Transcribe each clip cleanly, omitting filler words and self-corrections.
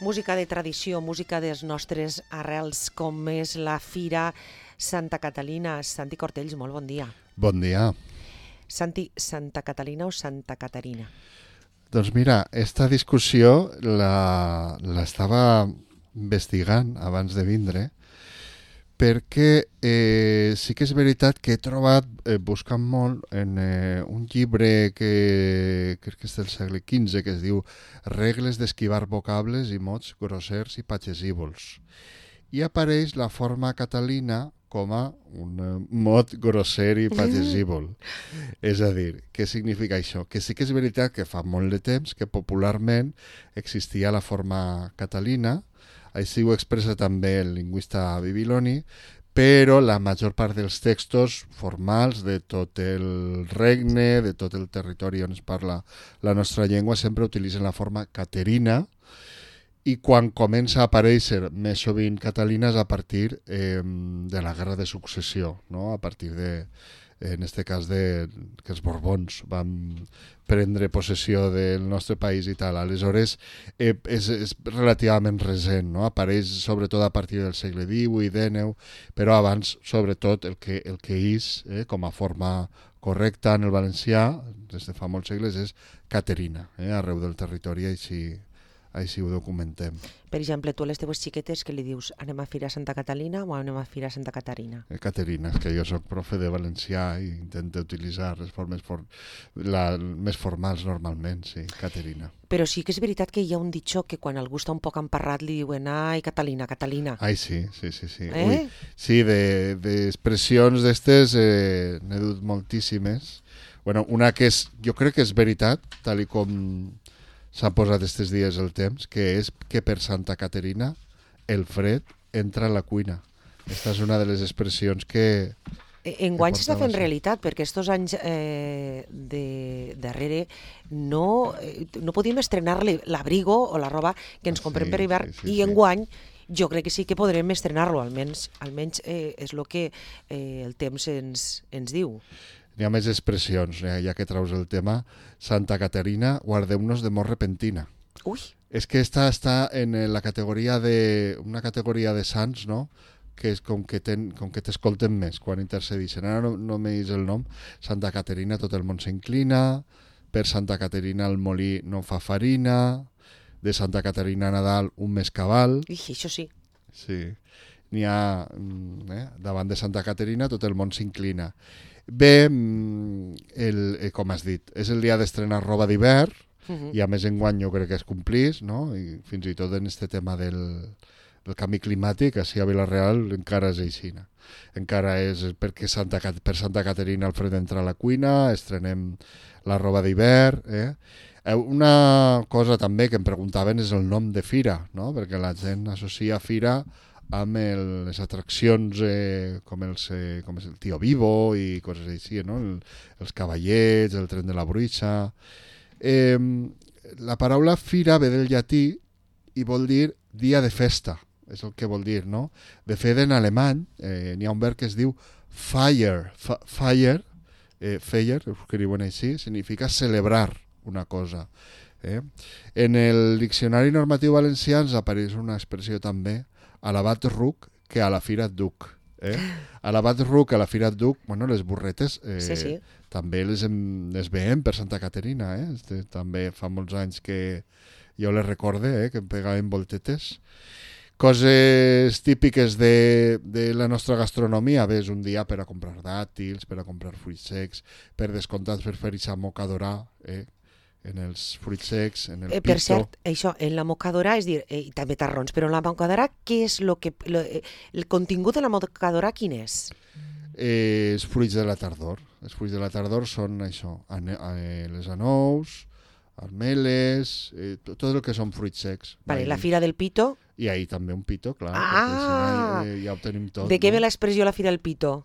música de tradició, música dels nostres arrels, com és la Fira Santa Catalina. Santi Cortells, molt bon dia. Bon dia. Santi, Santa Catalina o Santa Caterina? Doncs mira, esta discussió l'estava investigant abans de vindre, perquè sí que és veritat que he trobat, buscant molt, en un llibre que crec que és del segle XV, que es diu Regles d'esquivar vocables i mots grossers i pagesívols. I apareix la forma catalina com a un mot grosser i pagesívol. És a dir, què significa això? Que sí que és veritat que fa molt de temps que popularment existia la forma catalina, així ho expressa també el lingüista Bibiloni, però la major part dels textos formals de tot el regne, de tot el territori on es parla la nostra llengua, sempre utilitzen la forma caterina, i quan comença a aparèixer més sovint Catalina és a partir de la Guerra de Successió, no? A partir de, en este cas, que els Borbons van prendre possessió del nostre país i tal. Aleshores, és relativament recent, no? Apareix sobretot a partir del segle XVIII i XIX, però abans, sobretot, el que és, com a forma correcta en el valencià, des de fa molts segles, és Caterina, arreu del territori, així ho documentem. Per exemple, tu a les teves xiquetes que li dius anem a Fira Santa Catalina o anem a Fira Santa Caterina? Caterina, és que jo soc profe de valencià i intento utilitzar les formes més formals normalment, sí, Caterina. Però sí que és veritat que hi ha un ditxó que quan algú està un poc emparrat li diuen ai, Catalina, Catalina. Ai, sí. Ui, sí, d'expressions d'estes n'he dut moltíssimes. Bueno, una que jo crec que és veritat, tal i com s'ha posat estos dies el temps, que és que per Santa Caterina el fred entra a la cuina. Aquesta és una de les expressions que... Enguany s'està fent realitat, perquè estos anys darrere no podíem estrenar l'abrigo o la roba que ens comprem per hivern, i enguany jo crec que sí que podrem estrenar-lo, almenys és el que el temps ens diu. N'hi ha més expressions, ja que traus el tema. Santa Caterina, guardeu-nos de mort repentina. Ui! És que esta està en la categoria una categoria de sants, no?, que és com que t'escolten més quan intercedixen. Ara no me dis el nom. Santa Caterina, tot el món s'inclina. Per Santa Caterina el molí no fa farina. De Santa Caterina a Nadal un mes cabal. Ui, això sí. Sí. N'hi ha, davant de Santa Caterina tot el món s'inclina. Bé, com has dit, és el dia d'estrenar roba d'hivern, i a més enguany jo crec que es complís, no? I fins i tot en este tema del canvi climàtic, així a Vila-real encara és així. Encara és perquè per Santa Caterina el fred entra a la cuina, estrenem la roba d'hivern. Una cosa també que em preguntaven és el nom de fira, no? Perquè la gent associa fira amb les atraccions com és el Tio Vivo i coses així, no? Els cavallets, el tren de la bruixa. La paraula fira ve del llatí i vol dir dia de festa, és el que vol dir, no? De fet, en alemany n'hi ha un verb que es diu feier, ho escriuen així, significa celebrar una cosa. En el diccionari normatiu valencià ens apareix una expressió també, alabat ruc, que a la fira et duc. Alabat ruc, a la fira et duc, bueno, les burretes sí. també les veiem per Santa Caterina. També fa molts anys que jo les recorde, que em pegaven voltetes. Coses típiques de la nostra gastronomia, és un dia per a comprar dàtils, per a comprar fruits secs, per descomptat per fer-hi mocadorà, en els fruits secs, en el pito. Per cert, això, en la mocadora, és dir, i també tarrons, però en la mocadora, què és el contingut de la mocadora, quin és? Els fruits de la tardor. Els fruits de la tardor són això, les anous, armeles, tot el que són fruits secs. Vale, la fira del pito? I ahir també un pito, clar. Ja ho tenim tot. De què ve l'expressió la fira del pito?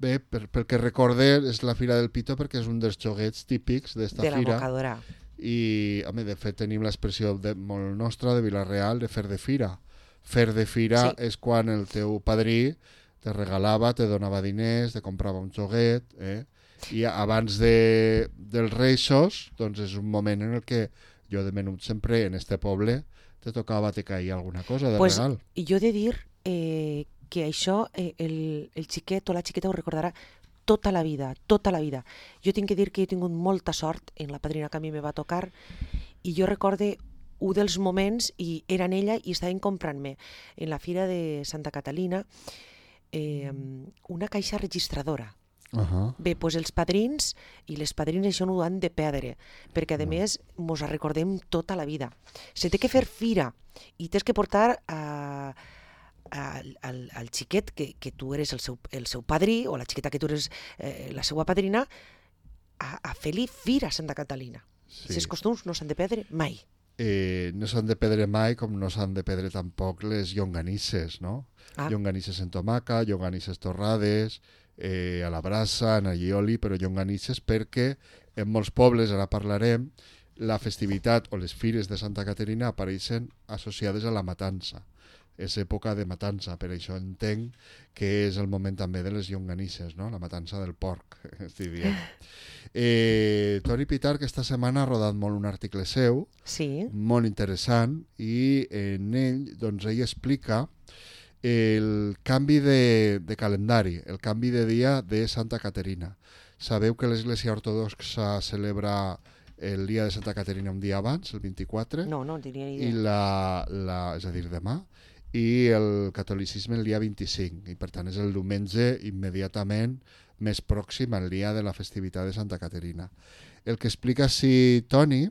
Bé, pel que recorde, és la Fira del Pito perquè és un dels joguets típics d'esta fira. De la mocadora. I, de fet, tenim l'expressió molt nostra de Vila-real de fer de fira. Fer de fira és quan el teu padrí te regalava, te donava diners, te comprava un joguet, i abans dels Reixos, doncs és un moment en el que jo de menut sempre en este poble te tocava te caia alguna cosa de pues, regal. I jo he de dir que això el xiquet o la xiqueta ho recordarà tota la vida, tota la vida. Jo tinc que dir que he tingut molta sort en la padrina que a mi me va tocar i jo recorde un dels moments i era en ella i estaven comprant-me en la fira de Santa Catalina una caixa registradora. Bé, doncs els padrins i les padrines això no ho han de perdre, perquè a més mos recordem tota la vida. Se té que fer fira i tens que portar al xiquet que tu eres el seu padrí o la xiqueta que tu eres la seva padrina a fer-li fira a Santa Catalina. Els costums no s'han de perdre mai. No s'han de perdre mai com no s'han de perdre tampoc les llonganisses, no? Llonganisses en tomaca, llonganisses torrades, a la brasa, en allioli, però llonganisses perquè en molts pobles, ara parlarem, la festivitat o les fires de Santa Caterina apareixen associades a la matança. És època de matança, per això entenc que és el moment també de les llonganisses, no? La matança del porc, estic dient. Toni Pitar, que esta setmana ha rodat molt un article seu, molt interessant, i en ell, doncs, ell explica el canvi de calendari, el canvi de dia de Santa Caterina. Sabeu que l'Església Ortodoxa celebra el dia de Santa Caterina un dia abans, el 24? No tenia ni idea. És a dir, demà. I el catolicisme el dia 25, i per tant és el diumenge immediatament més pròxim al dia de la festivitat de Santa Caterina. El que explica així Toni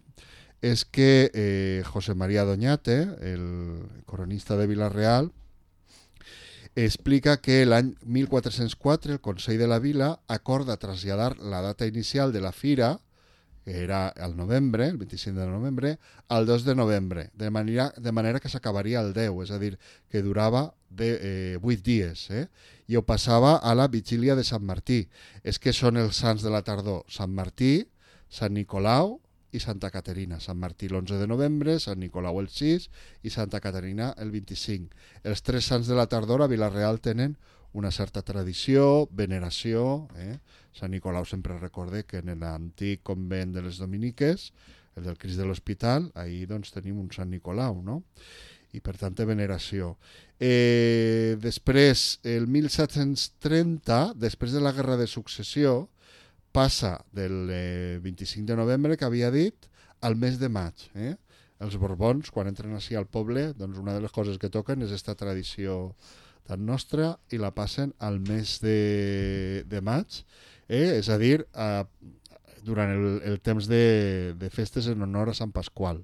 és que José María Doñate, el coronista de Vila-real, explica que l'any 1404 el Consell de la Vila acorda traslladar la data inicial de la fira, que era el novembre, el 25 de novembre, al 2 de novembre, de manera que s'acabaria el 10, és a dir, que durava 8 dies, i ho passava a la vigília de Sant Martí. És que són els sants de la tardor, Sant Martí, Sant Nicolau i Santa Caterina. Sant Martí l'11 de novembre, Sant Nicolau el 6 i Santa Caterina el 25. Els tres sants de la tardor a Vila-real tenen una certa tradició, veneració. Sant Nicolau sempre recorde que en l'antic convent de les Dominiques, el del Crist de l'Hospital, ahir doncs tenim un Sant Nicolau, no? I per tant veneració. Després, el 1730, després de la Guerra de Successió, passa del 25 de novembre, que havia dit, al mes de maig. Els Borbons, quan entren així al poble, doncs una de les coses que toquen és aquesta tradició tan nostra i la passen al mes de maig, és a dir, durant el temps de festes en honor a Sant Pasqual.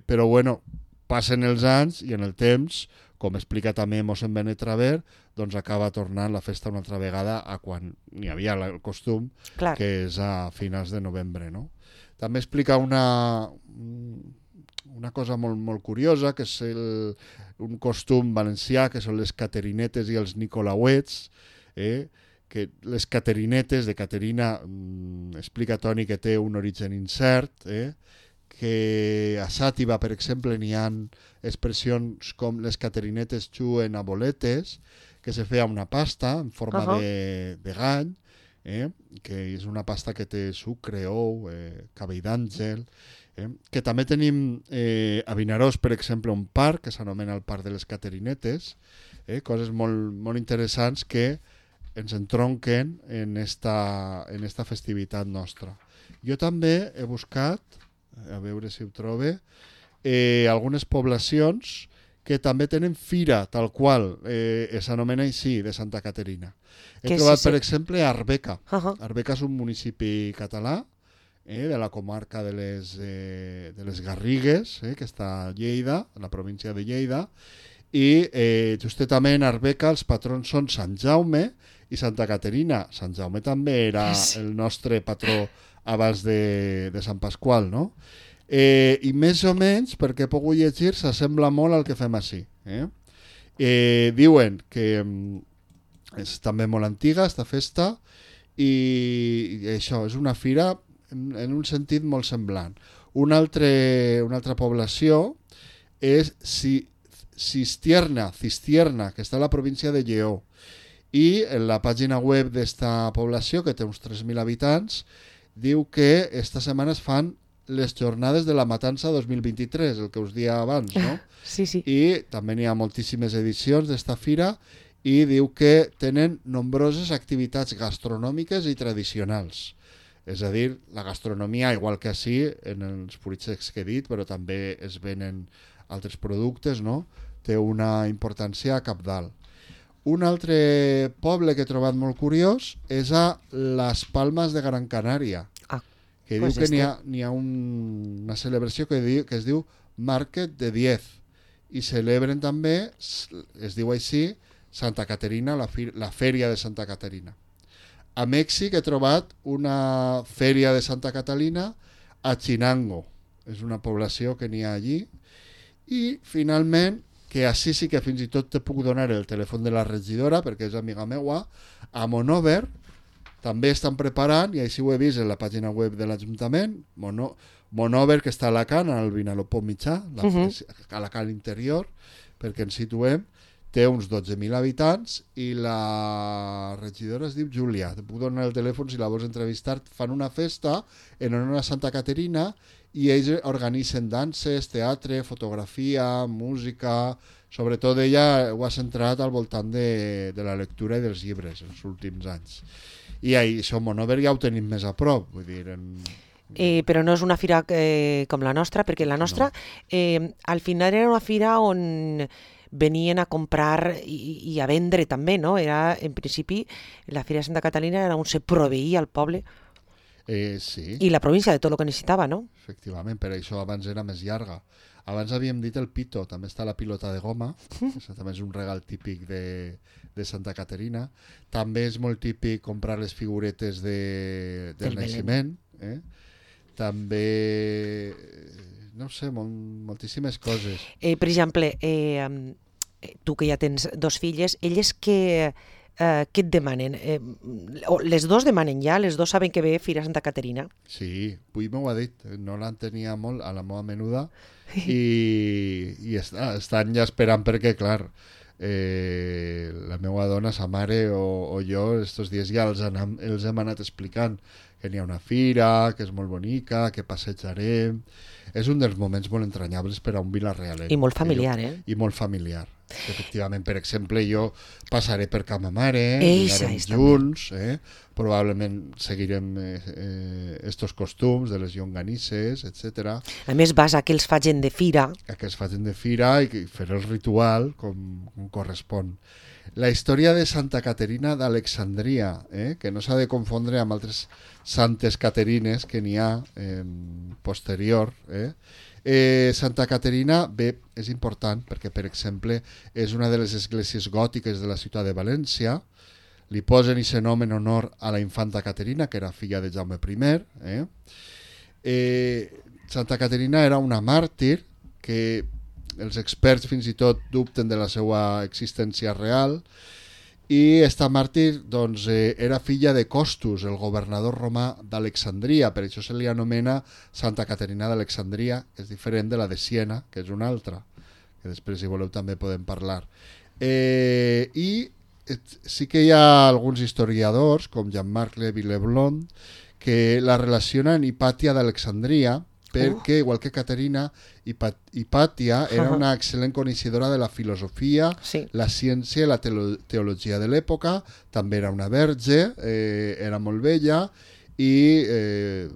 Però bueno, passen els anys i en el temps, com explica també mossèn Benet Traver, doncs acaba tornant la festa una altra vegada a quan n'hi havia el costum, que és a finals de novembre, no? També explica una cosa molt, molt curiosa, que és un costum valencià, que són les caterinetes i els nicolauets, que les caterinetes de Caterina, explica Toni que té un origen incert, que a Xàtiva, per exemple, n'hi ha expressions com les caterinetes juguen a boletes, que se feia una pasta en forma de gall, que és una pasta que té sucre, ou, cabell d'àngel, que també tenim a Vinaròs, per exemple, un parc que s'anomena el Parc de les Caterinetes, coses molt, molt interessants que ens entronquen en esta festivitat nostra. Jo també he buscat, a veure si ho trobe, algunes poblacions que també tenen fira, tal qual, s'anomena així, de Santa Caterina. He trobat, per exemple, Arbeca. Arbeca és un municipi català, de la comarca de les Garrigues, que està a Lleida, a la província de Lleida, i justament a Arbeca els patrons són Sant Jaume i Santa Caterina. Sant Jaume també era el nostre patró abans de Sant Pasqual, no? I més o menys, perquè he pogut llegir, s'assembla molt al que fem així. Diuen que és també molt antiga, esta festa, i això és una fira en un sentit molt semblant. Una altra població és Cistierna, que està a la província de Lleó. I en la pàgina web d'esta població, que té uns 3.000 habitants, diu que esta setmana es fan les jornades de la Matança 2023, el que us dia abans, no? Sí, sí. I també n'hi ha moltíssimes edicions d'esta fira i diu que tenen nombroses activitats gastronòmiques i tradicionals. És a dir, la gastronomia, igual que així, en els fruits que he dit, però també es venen altres productes, no? Té una importància cabdal. Un altre poble que he trobat molt curiós és a les Palmes de Gran Canària, que pues diu que n'hi ha una celebració que es diu Market de Diez, i celebren també, es diu així, Santa Caterina, la fèria de Santa Caterina. A Mèxic he trobat una fèria de Santa Catalina a Chinango, és una població que n'hi ha allí, i finalment, que així sí que fins i tot te puc donar el telèfon de la regidora, perquè és amiga meua, a Monover també estan preparant, i així ho he vist en la pàgina web de l'Ajuntament, Monover, que està a Alacant, al Vinalopó mitjà, a Alacant interior, perquè ens situem, té uns 12.000 habitants i la regidora es diu Júlia. Te puc donar el telèfon si la vols entrevistar. Fan una festa en honor a Santa Caterina i ells organitzen danses, teatre, fotografia, música. Sobretot ella ho ha centrat al voltant de la lectura i dels llibres els últims anys. I això, Monover ja ho tenim més a prop. Vull dir, però no és una fira com la nostra, perquè la nostra al final era una fira on venien a comprar i a vendre també, no? Era, en principi, la Fira de Santa Catalina era on se proveïa al poble sí. I la província de tot el que necessitava, no? Efectivament, per això abans era més llarga. Abans havíem dit el pito, també està la pilota de goma, que també és un regal típic de Santa Caterina. També és molt típic comprar les figuretes del naixement. També, no sé, moltíssimes coses. Per exemple, tu que ja tens dos filles, elles què et demanen? Les dos demanen ja, les dos saben que ve Fira Santa Caterina. Sí, avui m'ho ha dit, no l'entenia molt a la meva menuda i estan ja esperant perquè, clar, la meva dona, sa mare o jo, estos dies ja els hem anat explicant que n'hi ha una fira, que és molt bonica, que passejarem. És un dels moments molt entranyables per a un vilarealenc. I molt familiar, I molt familiar. Efectivament, per exemple, jo passaré per Ca ma mare, dinarem junts, probablement seguirem estos costums de les llonganisses, etc. A més, vas a que els facin de fira. A que els facin de fira i fer el ritual com correspon. La història de Santa Caterina d'Alexandria, que no s'ha de confondre amb altres santes caterines que n'hi ha posterior. Santa Caterina, bé, és important perquè, per exemple, és una de les esglésies gòtiques de la ciutat de València. Li posen aquest nom en honor a la infanta Caterina, que era filla de Jaume I. Santa Caterina era una màrtir que els experts fins i tot dubten de la seva existència real, i esta màrtir doncs, era filla de Costus, el governador romà d'Alexandria, per això se li anomena Santa Caterina d'Alexandria, que és diferent de la de Siena, que és una altra, que després, si voleu, també podem parlar. I sí que hi ha alguns historiadors, com Jean-Marc Lévy-Leblond, que la relacionen Hipàtia d'Alexandria, perquè, igual que Caterina, Hipàtia era una excel·lent coneixedora de la filosofia, la ciència i la teologia de l'època, també era una verge, era molt bella i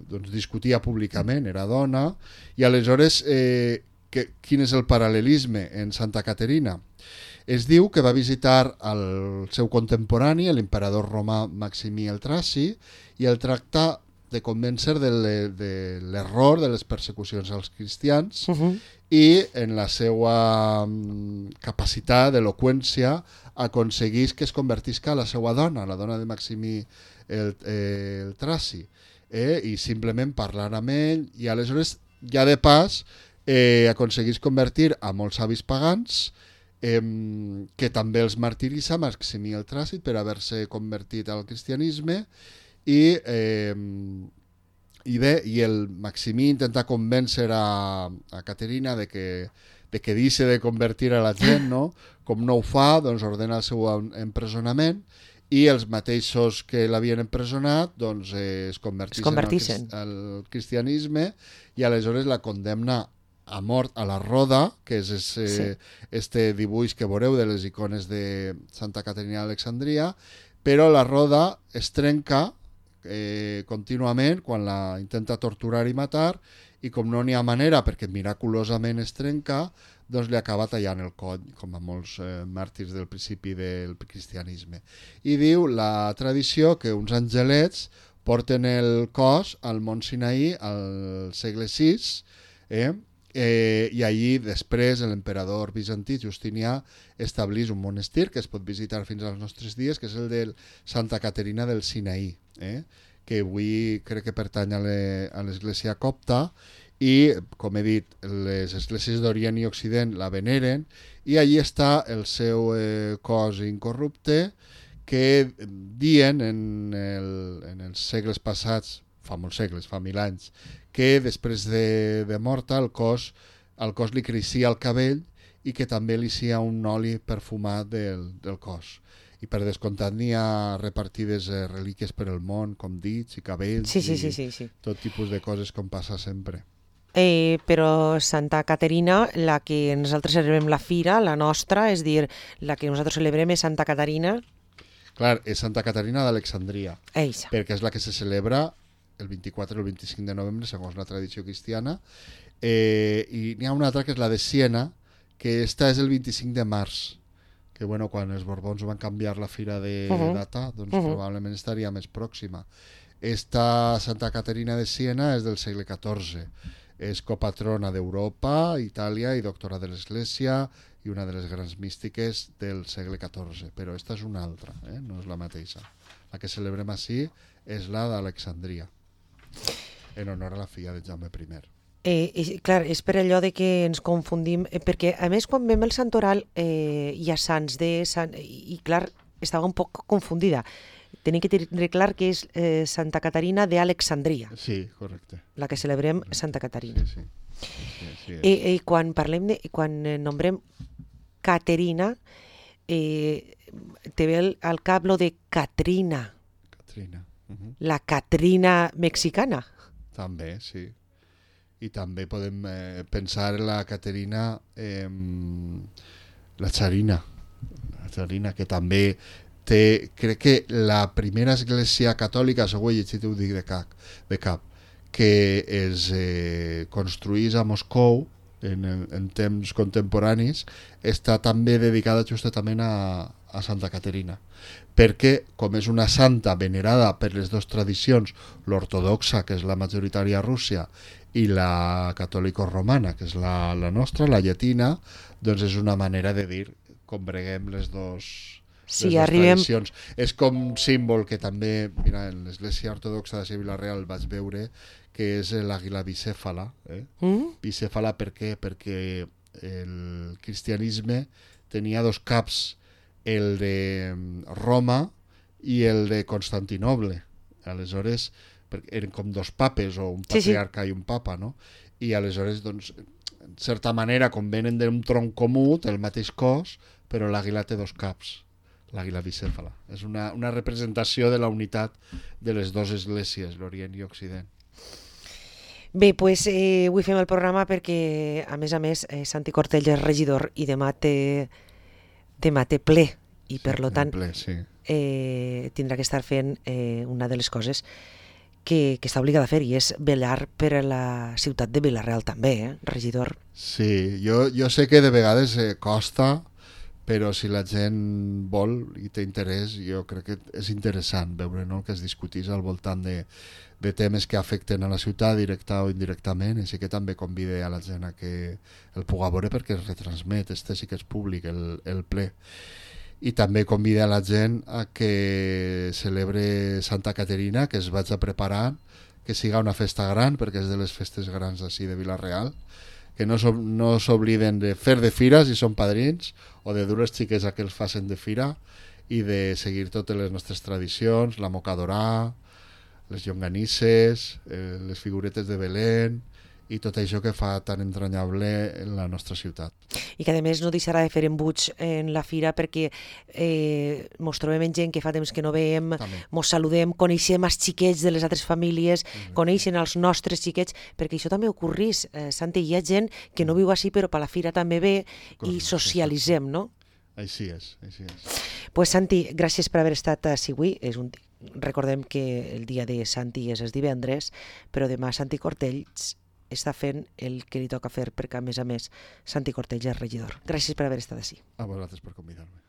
doncs, discutia públicament, era dona, i aleshores quin és el paral·lelisme en Santa Caterina? Es diu que va visitar el seu contemporani, l'emperador romà Maximí el Traci, i el tracta de convèncer de l'error de les persecucions als cristians i en la seva capacitat d'eloqüència aconseguís que es convertisca a la seva dona, la dona de Maximí el Traci, i simplement parlar amb ell, i aleshores ja de pas aconseguís convertir a molts savis pagans que també els martiritza Maximí el Traci per haver-se convertit al cristianisme. I el Maximí intenta convèncer a Caterina de que deixi de convertir a la gent, no? Com no ho fa, doncs ordena el seu empresonament i els mateixos que l'havien empresonat doncs, es convertixen al cristianisme i aleshores la condemna a mort a la Roda, que és este dibuix que veureu de les icones de Santa Caterina d'Alexandria, però la Roda es trenca contínuament quan la intenta torturar i matar, i com no n'hi ha manera perquè miraculosament es trenca, doncs li acaba tallant el coll, com a molts màrtirs del principi del cristianisme. I diu la tradició que uns angelets porten el cos al Mont Sinaí al segle VI, i allí després l'emperador bizantí Justinià establís un monestir que es pot visitar fins als nostres dies, que és el de Santa Caterina del Sinaí, que avui crec que pertany a l'església copta, i, com he dit, les esglésies d'Orient i Occident la veneren, i allí està el seu cos incorrupte, que diuen en els segles passats, fa molts segles, fa 1000 anys, que després de morta al cos li creixia el cabell i que també li sia un oli perfumat del cos. I per descomptat n'hi ha repartides relíquies per el món, com dits i cabells, sí. Tot tipus de coses com passa sempre. Però Santa Caterina, la que nosaltres celebrem la fira, la nostra, és dir, la que nosaltres celebrem és Santa Caterina. Clar, és Santa Caterina d'Alexandria, Eixa. perquè és la que se celebra el 24 o el 25 de novembre, segons la tradició cristiana, i n'hi ha una altra que és la de Siena, que esta és el 25 de març, que bueno, quan els Borbons van canviar la fira de data, doncs probablement estaria més pròxima. Esta Santa Caterina de Siena és del segle XIV, és copatrona d'Europa, Itàlia i doctora de l'Església i una de les grans místiques del segle XIV, però esta és una altra, no és la mateixa. La que celebrem així és la d'Alexandria, en honor a la filla de Jaume I. Clar, és per allò de que ens confundim, perquè a més quan veiem el santoral hi ha sants i clar, estava un poc confundida. Tenim que tenir clar que és Santa Caterina d'Alexandria. Sí, correcte. La que celebrem Santa Caterina. Sí. I quan quan nombrem Caterina, te ve al cap lo de Catrina. La Catrina mexicana. També, sí. I també podem pensar en la Caterina, la Charina, que també té, crec que la primera església catòlica, segur he llegit, ho dic de cap, que es construís a Moscou en temps contemporanis, està també dedicada justament a Santa Caterina, perquè com és una santa venerada per les dues tradicions, l'ortodoxa, que és la majoritària a Rússia, i la catòlico-romana, que és la nostra, la llatina, doncs és una manera de dir, combreguem les dues tradicions. És com un símbol que també, mira, en l'església ortodoxa de Vila-real vaig veure, que és l'àguila bicèfala. Bicèfala per què? Perquè el cristianisme tenia dos caps, el de Roma i el de Constantinoble. Aleshores, eren com dos papes, o un patriarca i un papa, no? I aleshores, doncs, en certa manera, com venen d'un tronc comú, té el mateix cos, però l'àguila té dos caps. L'àguila bicèfala. És una representació de la unitat de les dues esglésies, l'Orient i Occident. Bé, doncs avui fem el programa perquè, a més, Santi Cortell és regidor i demà té ple, i per tant tindrà que estar fent una de les coses que està obligat a fer, i és vetllar per a la ciutat de Vila-real també, regidor. Sí, jo sé que de vegades costa, però si la gent vol i té interès, jo crec que és interessant veure, no?, que es discutís al voltant de temes que afecten a la ciutat directa o indirectament, així que també convide a la gent a que el puga veure perquè es retransmet, sí que és públic el ple. I també convida a la gent a que celebre Santa Caterina, que es vagi preparant, que siga una festa gran, perquè és de les festes grans així de Vila-real, que no s'obliden de fer de fira si són padrins, o de dur les xiques a que els facin de fira, i de seguir totes les nostres tradicions, la mocadorà, les llonganisses, les figuretes de Belén, i tot això que fa tan entranyable la nostra ciutat. I que a més no deixarà de fer embuts en la fira perquè mos trobem amb gent que fa temps que no veiem, mos saludem, coneixem els xiquets de les altres famílies, coneixen els nostres xiquets, perquè això també ocorrís, Santi, hi ha gent que no viu així però per la fira també ve i socialitzem, no? Així és, així és. Pues Santi, gràcies per haver estat així avui. Recordem que el dia de Santi és el divendres, però demà Santi Cortells està fent el que li toca fer, perquè a més, Santi Cortells és regidor. Gràcies per haver estat així. A vosaltres per convidar-me.